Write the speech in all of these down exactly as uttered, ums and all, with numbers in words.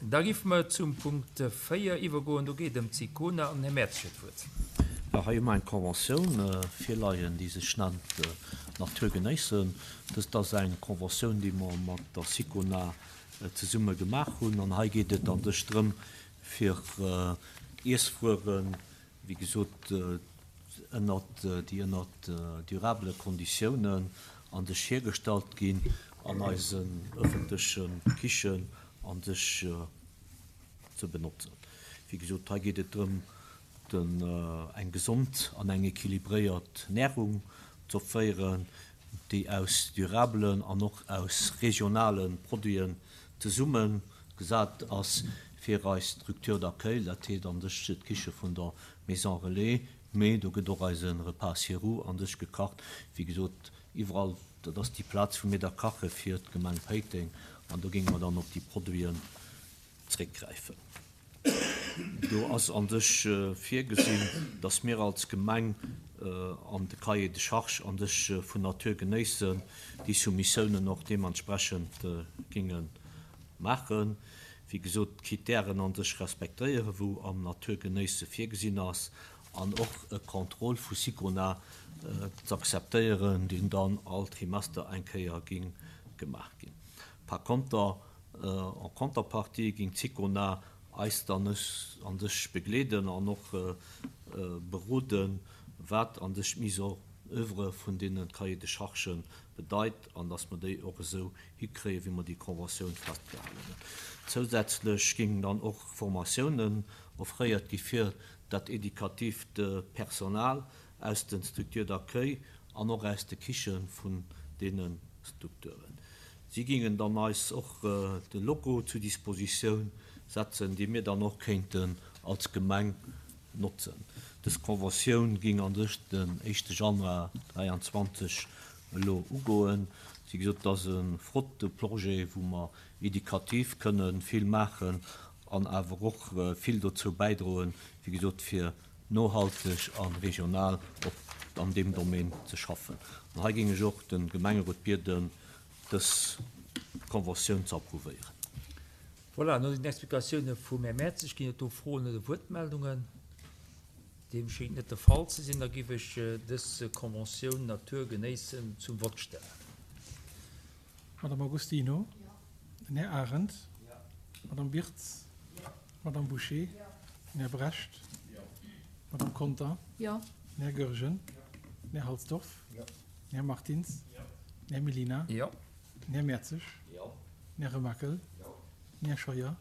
Da géife mer zum Punkt véier iwwergoen. Do geet et ëm d'SICONA an den Här Mertz huet d'Wuert. Jo, hei hu mer eng Conventioun virleien, déi sech nennt Natur genéissen. Dëst ass eng Conventioun, déi mer mat der SICONA zesumme gemaach hunn. An hei geet et an sech drëm, fir Iesswueren, wéi gesot, ënnert, déi ënnert durabele Konditiounen an sech hiergestallt ginn, an eisen ëffentleche Kichen an sech ze benotzen. Wéi gesot, hei geet et drëm, den, eng gesond an eng équilibréiert Närung z'offréieren, déi aus durabelen an och aus regionale Produiten zesumme gesat ass fir eis Structure d'accueil, dat heescht an sech d'Kiche vun der Maison Relais, mee do gëtt och eise Repas sur roues an sech gekacht. Wéi gesot, iwwerall, dat ass déi Plaz, wou mir da kache fir d'Gemeng Péiteng, an do géinge mer dann op déi Produiten zréckgräifen. Do ass an sech virgesinn, dass mir als Gemeng an de Cahier de charges an sech vun Natur genéissen déi Soumissiounen och deementsprechend géinge maachen. Wéi gesot, d'Kritären an sech respektéieren, wou am Natur genéisse virgesinn ass, an och e Contrôle vu SICONA z'akzeptéieren, deen dann all Trimester eng Kéier géing gemaach ginn. Par konter, en contrepartie géing d'SICONA eis dann an sech begleeden an och beroden, wat an sech d'Mise en oeuvre vun deene Cahiers de charges bedeit an dass mer déi och esou hikréien, wéi mer déi Conventioun festgehalen hunn. Zousätzlech géingen dann och Formatiounen offréiert gi fir dat edukatiivt Personal aus de Structures d'accueil an och aus de Kiche vun deene Strukturen. Si géingen dann eis och de Logo zu Dispositioun setzen, dee mir dann och kéinten als Gemeng notzen. Dës Conventioun géing an sech den éischte Januar dräianzwanzeg elo ugoen. Wéi gesot, et ass e flotte Projet, wou mer edukativ kënne vill maachen an awer och vill dozou bäidroen, wéi gesot, fir nohalteg a regional op an deem Domaine ze schaffen. An hei géing ech och de Gemengerot bieden, dës Conventioun ze approuvéieren. Voilà, no den Explikatioune vum Här Mertzig ginn et do Froen oder Wuertmeldungen. Deem schéngt net de Fall ze sinn. Da géif ech dës Conventioun Natur genéissen zum Vott stellen. Madame Agostino. Den Här Arendt. Madame Birtz. Madame Bouché. Den Här Brecht. Madame Conter. Den Här Goergen. Den Här Halsdorf. Den Här Martins. Den Här Mellina. Den Här Mertzig. Den Här Remakel. Den Här Scheuer.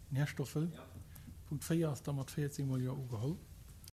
Den Här Stoffel. Punkt véier ass da mat véierzéng mol Jo ugeholl.